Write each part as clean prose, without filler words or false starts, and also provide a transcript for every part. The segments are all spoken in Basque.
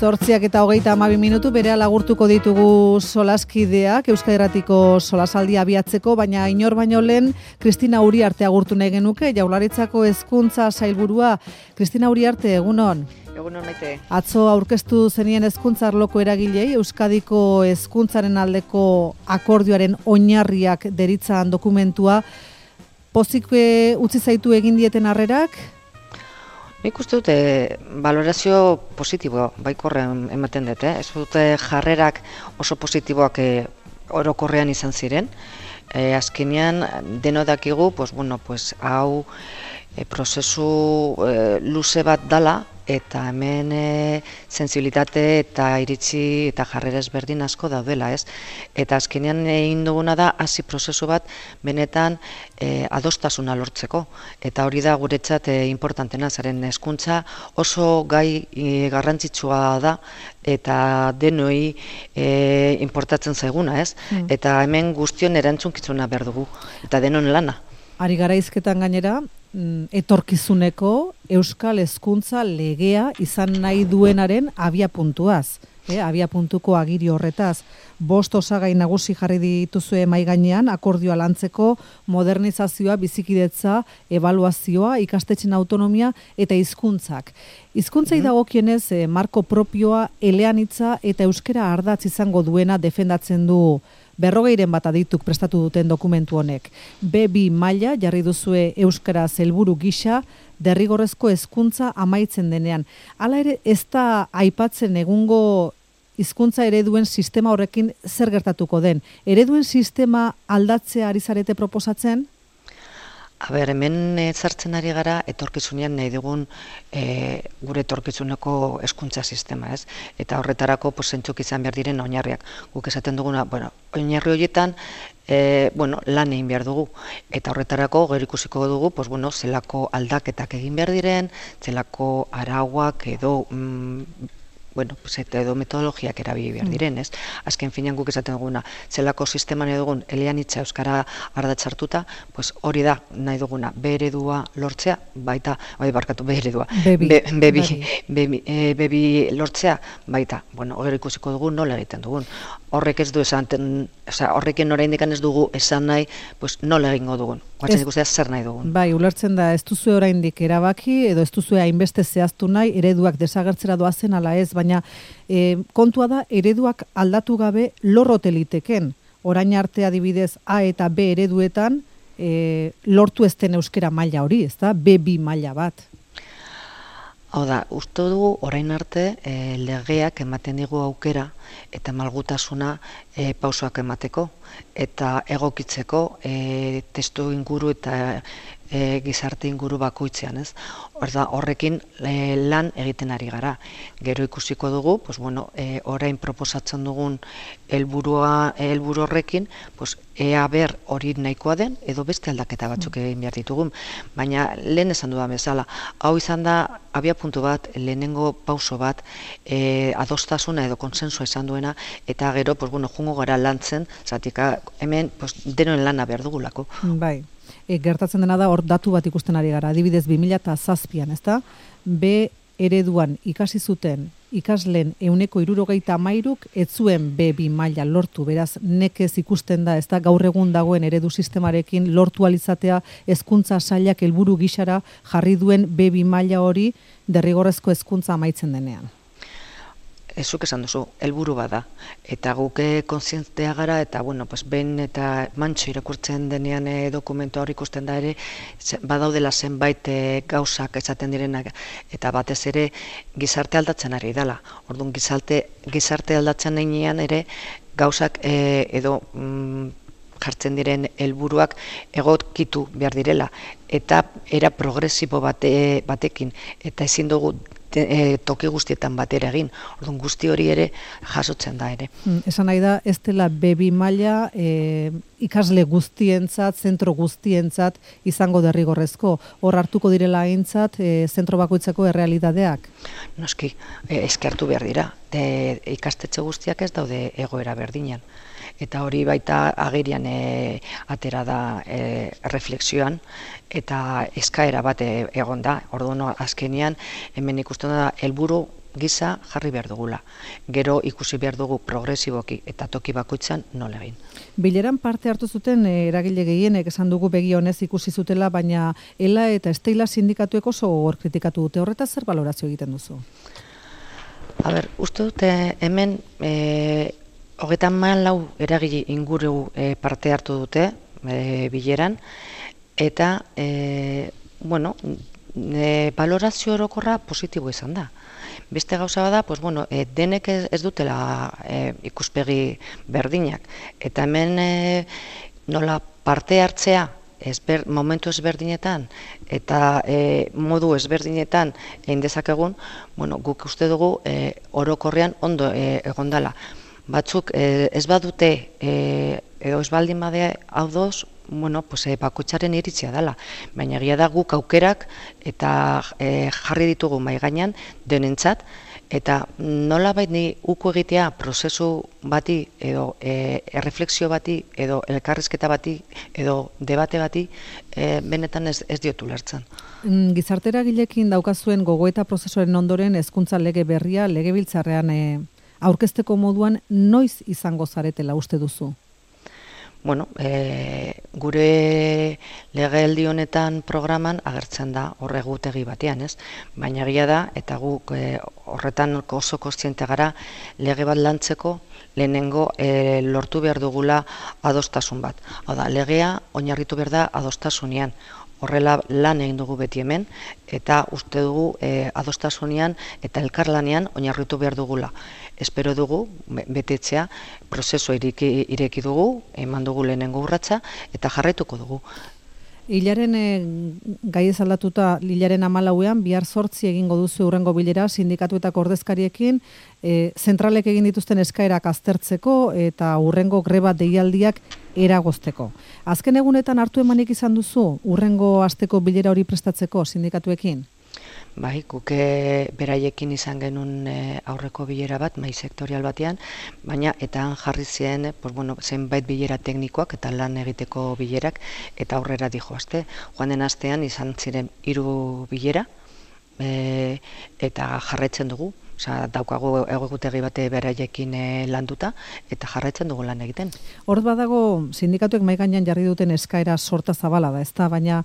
8:32 berea lagurtuko ditugu solaskideak, Euskadi Irratiko solasaldia abiatzeko, baina inor baino lehen Kristina Uriarte agurtu nahi genuke, Jaurlaritzako hezkuntza sailburua. Kristina Uriarte, egunon. Egunon maite. Atzo aurkeztu zenien hezkuntza arloko eragilei, Euskadiko hezkuntzaren aldeko akordioaren oinarriak deritzan dokumentua. Pozik utzi zaitu egin dieten harrerak? Nik uste dute valorazio positiboa baikorrean ematen dute. Ez dute jarrerak oso positiboak orokorrean izan ziren. Azkenean deno dakigu, hau prozesu luze bat dala, eta hemen sensibilitate eta iritzi eta jarrera ezberdin asko daudela, ez? Eta azkenean egin duguna da hasi prozesu bat benetan adostasuna lortzeko. Eta hori da guretzat importantena, zaren hezkuntza oso gai garrantzitsua da eta denoi importatzen zaiguna, ez? Eta hemen guztion erantzunkizuna behar dugu, eta denon lana. Ari gara hizketan gainera, etorkizuneko euskal hezkuntza legea izan nahi duenaren abiapuntuaz. Abiapuntuko agiri horretaz. 5 osagai nagusi jarri dituzue mahai gainean, akordioa lantzeko, modernizazioa, bizikidetza, ebaluazioa, ikastetxen autonomia eta hizkuntzak. Hizkuntzei dagokienez, marko propioa, eleanitza eta euskera ardatz izango duena defendatzen du 40 bat adituk prestatu duten dokumentu honek. B2 maila jarri duzue euskara helburu gisa, derrigorrezko hezkuntza amaitzen denean. Hala ere, ez da aipatzen egungo hizkuntza ereduen sistema horrekin zer gertatuko den. Ereduen sistema aldatzea ari zarete proposatzen? Hemen sartzen ari gara etorkizunean nahi dugun gure etorkizuneko hezkuntza sistema, ez? Eta horretarako zentzuk izan behar diren oinarriak. Guk esaten duguna, oinarri horietan lan egin behar dugu. Eta horretarako gero ikusiko dugu, zelako aldaketak egin behar diren, zelako arauak edo edo metodologiak erabili behar diren, ez? Azken finean guk esaten duguna, zelako sistema nahi dugun eleanitza euskara ardatzartuta, hori da nahi duguna, B-eredua lortzea, B2 lortzea, baita, gero ikusiko dugu nola egiten dugun. Horrek ez du horrekin oraindik ez dugu esan nahi, nola egingo dugun. Guatzen ikustea zer nahi dugun. Bai, ulertzen da, ez duzu oraindik erabaki, edo ez duzu hainbeste zehaztu nahi, ereduak desagertzera doazen ala ez, baina kontua da, ereduak aldatu gabe lorrote liteken. Orain arte adibidez A eta B ereduetan lortu ez den euskera maila hori, ez da? B2 maila bat. Hau da, uste dugu orain arte legeak ematen digu aukera eta malgutasuna pausoak emateko eta egokitzeko testu inguru eta gizarte inguru bakoitzean, ez? Horrekin lan egiten ari gara. Gero ikusiko dugu, orain proposatzen dugun helburu horrekin, ea ber hori nahikoa den, edo beste aldaketa batzuk egin behar ditugun. Baina lehen esan dudan bezala, hau izan da abiapuntu bat, lehenengo pauso bat, adostasuna edo konsensua izan duena, eta gero, jungo gara lantzen, zatik hemen denoen lana behar dugulako. Bai. Gertatzen dena da hor datu bat ikusten ari gara, adibidez 2007an, ezta? B ereduan ikasi zuten ikasleen 73%, ez zuen B2 maila lortu, beraz nekez ikusten da, ezta, gaur egun dagoen eredu sistemarekin lortu alizatea hezkuntza sailak helburu gisara jarri duen B2 maila hori derrigorrezko hezkuntza amaitzen denean. Zuk esan duzu, helburu bada, eta guk kontzientea gara, eta behin eta mantxo irakurtzen denean dokumentu hori ikusten da ere, badaudela zenbait gauzak esaten direnak, eta batez ere gizarte aldatzen ari dela. Orduan gizarte aldatzen denean ere gauzak edo jartzen diren helburuak egokitu behar direla, eta era progresibo batekin, eta ezin dugu toki guztietan batera egin. Orduan guzti hori ere jasotzen da ere. Esan nahi da, ez dela B2 maila ikasle guztientzat, zentro guztientzat izango derrigorrezko. Hor hartuko direla aintzat zentro bakoitzeko errealitateak? Noski, eskertu behar dira. Ikastetxe guztiak ez daude egoera berdinean. Eta hori baita agerian atera da reflexioan, eta eskaera bat egon da. Orduan azkenean hemen ikusten da helburu gisa jarri behar dugula. Gero ikusi behar dugu progresiboki eta toki bakoitzan nola egin. Bileran parte hartu zuten eragile gehienek esan dugu begi honez ikusi zutela, baina ELA eta Stella sindikatuek oso gogor kritikatu dute. Horretaz zer balorazio egiten duzu? A ber, uste dute hemen 34 eragile inguru parte hartu dute bileran, eta balorazio orokorra positibo izan da. Beste gauza bada, denek ez dutela ikuspegi berdinak. Eta hemen nola parte hartzea momentu ezberdinetan eta modu ezberdinetan egin dezakegun, guk uste dugu orokorrean ondo egondala. Batzuk ez badute edo ez baldin badea hau doz, bakoitzaren iritzia dela. Baina egia da guk aukerak eta jarri ditugu mahai gainean denentzat, eta nolabait ni uko egitea prozesu bati edo erreflexio bati edo elkarrizketa bati edo debate bati benetan ez diotu lertzen. Gizarteragileekin daukazuen gogoeta prozesuaren ondoren hezkuntza lege berria legebiltzarrean aurkezteko moduan noiz izango zaretela uste duzu? Gure legealdi honetan programan agertzen da horregutegi batean, ez? Baina egia da, eta guk horretan oso kontziente gara, lege bat lantzeko lehenengo lortu behar dugula adostasun bat. Hau da, legea oinarritu behar da adostasunean. Horrela lan egin dugu beti hemen, eta uste dugu adostasunean eta elkarlanean oinarritu behar dugula. Espero dugu, betetzea, prozesua ireki dugu, eman dugu lehenengo urratsa, eta jarraituko dugu. Hilaren gaiez aldatuta, hilaren 14ean, bihar 8 egingo duzu hurrengo bilera, sindikatuetako ordezkariekin, zentralek egin dituzten eskaerak aztertzeko eta hurrengo greba deialdiak eragozteko. Azken egunetan hartu emanik izan duzu, hurrengo asteko bilera hori prestatzeko sindikatuekin? Bai, guk beraiekin izan genuen aurreko bilera bat, mahai sektorial batean, baina eta han jarri ziren zenbait bilera teknikoak eta lan egiteko bilerak, eta aurrera dijoazte. Joan den astean izan ziren 3 bilera, eta jarraitzen dugu. Daukagu egutegi bate beraiekin landuta, eta jarraitzen dugu lan egiten. Hor badago, sindikatuek mahai gainean jarri duten eskaera sorta zabala da, ezta? Baina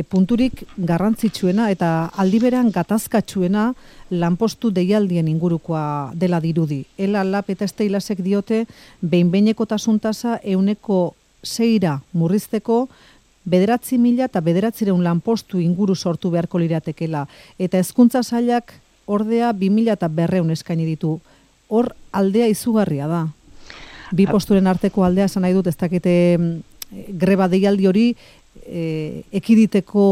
punturik garrantzitsuena eta aldiberan gatazkatsuena lanpostu deialdien ingurukoa dela dirudi. ELA, LAB eta Stellasek diote behin-behinekotasun tasa 6% murrizteko 9.000 eta 9.900 lanpostu inguru sortu beharko liratekela. Eta hezkuntza sailak ordea 2.200 eskaini ditu. Hor aldea izugarria da. Bi posturen arteko aldea esan nahi dut, ez dakite greba deialdi hori ekiditeko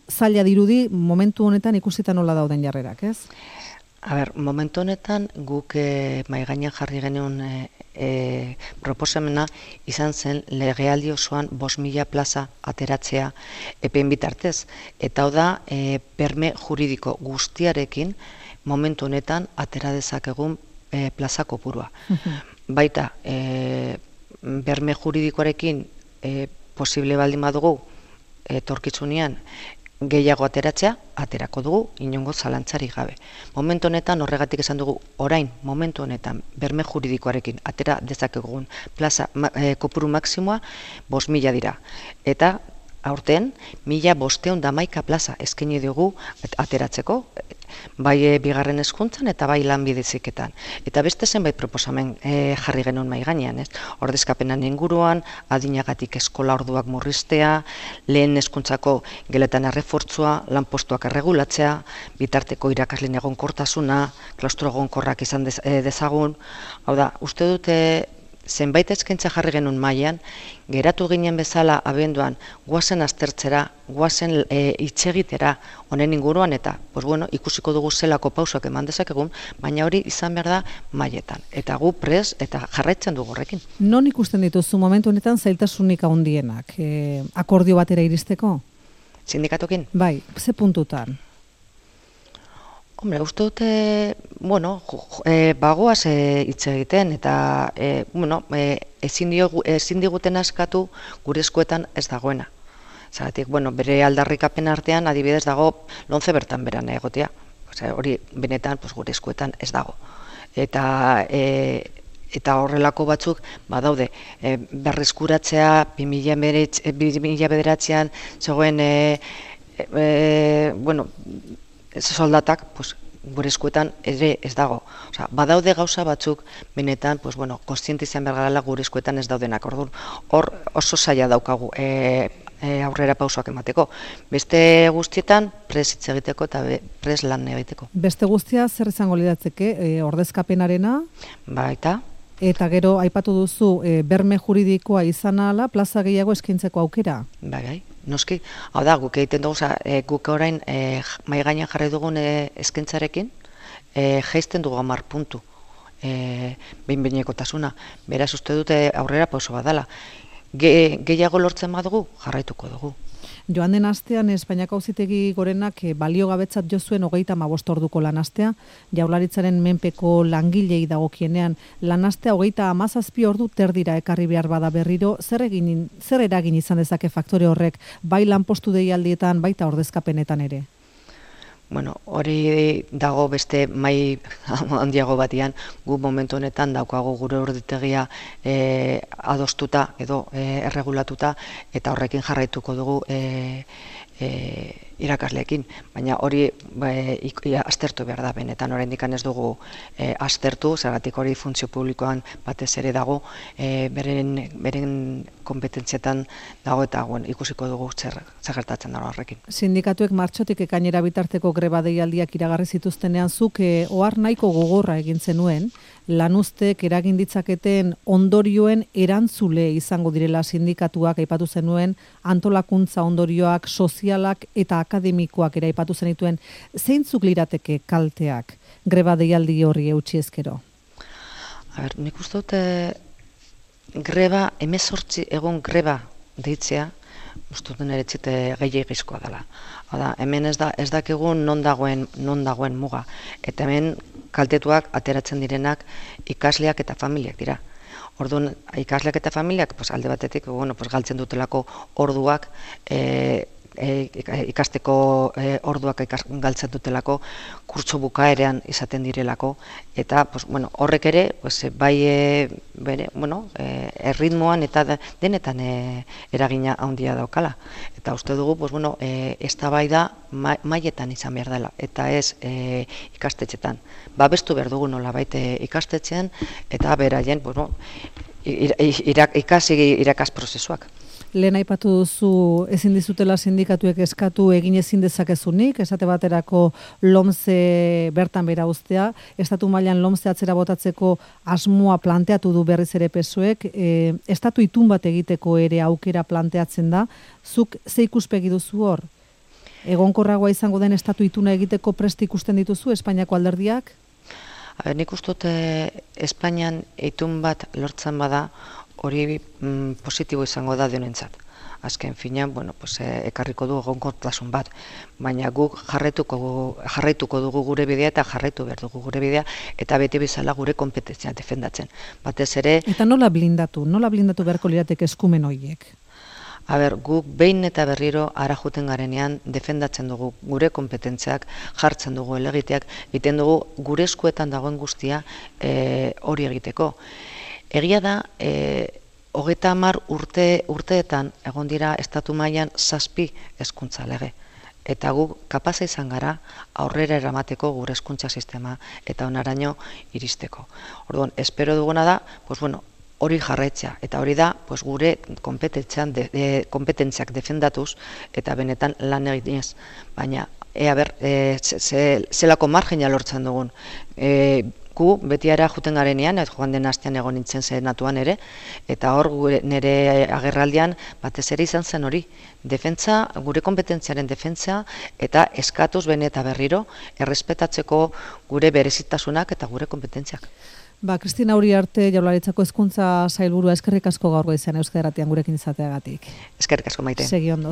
zaila dirudi, momentu honetan ikusita nola dauden jarrerak, ez? Momentu honetan guk mahai gainean jarri genuen proposamena izan zen legealdi osoan 5.000 plaza ateratzea epein bitartez. Eta hau da, berme juridiko guztiarekin momentu honetan atera dezakegun plaza kopurua. Baita, berme juridikoarekin posible baldin badugu etorkizunean gehiago ateratzea, aterako dugu, inongo zalantzarik gabe. Momentu honetan, horregatik esan dugu, orain, momentu honetan, berme juridikoarekin atera dezakegun plaza kopuru maksimoa 5.000 dira. Eta, aurten, 1.511 plaza eskaini dugu ateratzeko, bai bigarren hezkuntzan eta bai lanbide heziketan. Eta beste zenbait proposamen jarri genuen mahai gainean, ez? Ordezkapenan inguruan, adinagatik eskola orduak murriztea, lehen hezkuntzako geletan errefortzua, lanpostuak erregulatzea, bitarteko irakasleen egonkortasuna, klaustro egonkorrak izan dezagun. Hau da, uste dute zenbait eskaintza jarri genuen mailan, geratu ginen bezala abenduan goazen aztertzera, goazen hitz-egitera honen inguruan, eta ikusiko dugu zelako pausoak eman dezakegun, baina hori izan behar da mailetan. Eta gu prest eta jarraitzen dugu horrekin. Non ikusten dituzu momentu honetan zailtasunik handienak akordio batera iristeko? Sindikatuekin? Bai, ze puntutan? Hombre, uste dute, bagoaz hitz egiten, eta ezin diguten askatu gure eskuetan ez dagoena. Zeratik, bere aldarrikapen artean adibidez dago lomce bertan beran egotea. hori benetan gure eskuetan ez dago. Eta horrelako batzuk badaude, berreskuratzea 2009an zegoen soldatak gure eskuetan ere ez dago. Badaude gauza batzuk benetan kontziente izan behar garela gure eskuetan ez daudenak. Orduan, hor oso zaila daukagu aurrera pausoak emateko. Beste guztietan prest hitz egiteko eta prest lan egiteko. Beste guztia zer izango lidatzeke? Ordezkapenarena? Baita. Eta gero aipatu duzu berme juridikoa izan ahala plaza gehiago eskaintzeko aukera? Bai, noski. Hau da, guk egiten dugu, guk orain mahai gainean jarri dugun eskaintzarekin, jaisten dugu 10 puntu behin-behinekotasuna. Beraz uste dute aurrera pauso badala. Gehiago lortzen badugu, jarraituko dugu. Joan den astean Espainiako Auzitegi Gorenak baliogabetzat jo zuen 35 orduko lanastea, Jaurlaritzaren menpeko langilei dagokienean. Lanastea 37 ordu terdira ekarri behar bada berriro, zer eragin izan dezake faktore horrek, bai lanpostu deialdietan, baita ordezkapenetan ere? Hori dago beste mai handiago batean, gu momentu honetan daukago gure orditegia adostuta edo erregulatuta eta horrekin jarraituko dugu irakasleekin, baina hori aztertu behar da benetan, oraindik ez dugu aztertu, zergatik hori funtzio publikoan batez ere dago, beren kompetentzietan dago eta ikusiko dugu zer gertatzen dago horrekin. Sindikatuek martxotik ekainera bitarteko greba deialdiak iragarri zituztenean zuk ohar nahiko gogorra egin zenuen, lanuztek eragin ditzaketen ondorioen erantzule izango direla sindikatuak aipatu zenuen, antolakuntza ondorioak, sozialak eta akademikoak ere aipatu zenituen, zeintzuk lirateke kalteak greba deialdi horri eutsi ezkero? Nik uste dut greba, 18 egun greba deitzea, uste dut niretzite gehiagizkoa dela. Hemen ez dakigu non dagoen muga, eta hemen kaltetuak ateratzen direnak ikasleak eta familiak dira. Orduan, ikasleak eta familiak alde batetik galtzen dutelako orduak, ikasteko orduak galtzen dutelako, kurtso bukaerean izaten direlako, eta horrek ere bai erritmoan eta denetan eragina handia daukala. Eta uste dugu eztabaida mailetan izan behar dela, eta ez ikastetxetan. Babestu behar dugu nolabait ikastetxean, eta beraien irakas prozesuak. Lehen aipatu duzu ezin dizutela sindikatuek eskatu egin ezin dezakezunik, esate baterako LOMCE bertan bera uztea, estatu mailan LOMCE atzera botatzeko asmoa planteatu du berriz ere PSOEk, estatu itun bat egiteko ere aukera planteatzen da, zuk ze ikuspegi duzu hor? Egonkorragoa izango den estatu ituna egiteko prest ikusten dituzu Espainiako alderdiak? Nik uste dut Espainian itun bat lortzen bada, hori positibo izango da denentzat. Azken finean, ekarriko du egonkortasun bat, baina guk jarraituko dugu gure bidea eta jarraitu behar dugu gure bidea eta beti bezala gure kompetentzia defendatzen. Batez ere... Eta nola blindatu beharko lirateke eskumen horiek? Guk behin eta berriro ara juten garenean defendatzen dugu gure kompetentziak, jartzen dugu helegiteak, egiten dugu gure eskuetan dagoen guztia hori egiteko. Egia da, 30 urteetan egon dira estatu mailan 7 hezkuntza lege. Eta guk kapaza izan gara aurrera eramateko gure hezkuntza sistema eta onaraino iristeko. Orduan, espero duguna da, hori jarraitzea, eta hori da gure kompetentziak defendatuz eta benetan lan eginez. Baina, zelako margina lortzen dugun. Gu beti ara juten garenean, joan den astean egon nintzen senatuan ere, eta hor nire agerraldian batez ere izan zen hori, defentsa, gure kompetentziaren defentsa, eta eskatuz bene eta berriro, errespetatzeko gure berezitasunak eta gure kompetentziak. Kristina Uriarte, Jaurlaritzako Hezkuntza Sailburua, eskerrik asko gaur goizean Euskadi Irratian gurekin izateagatik. Eskerrik asko, Maite. Segi ondo.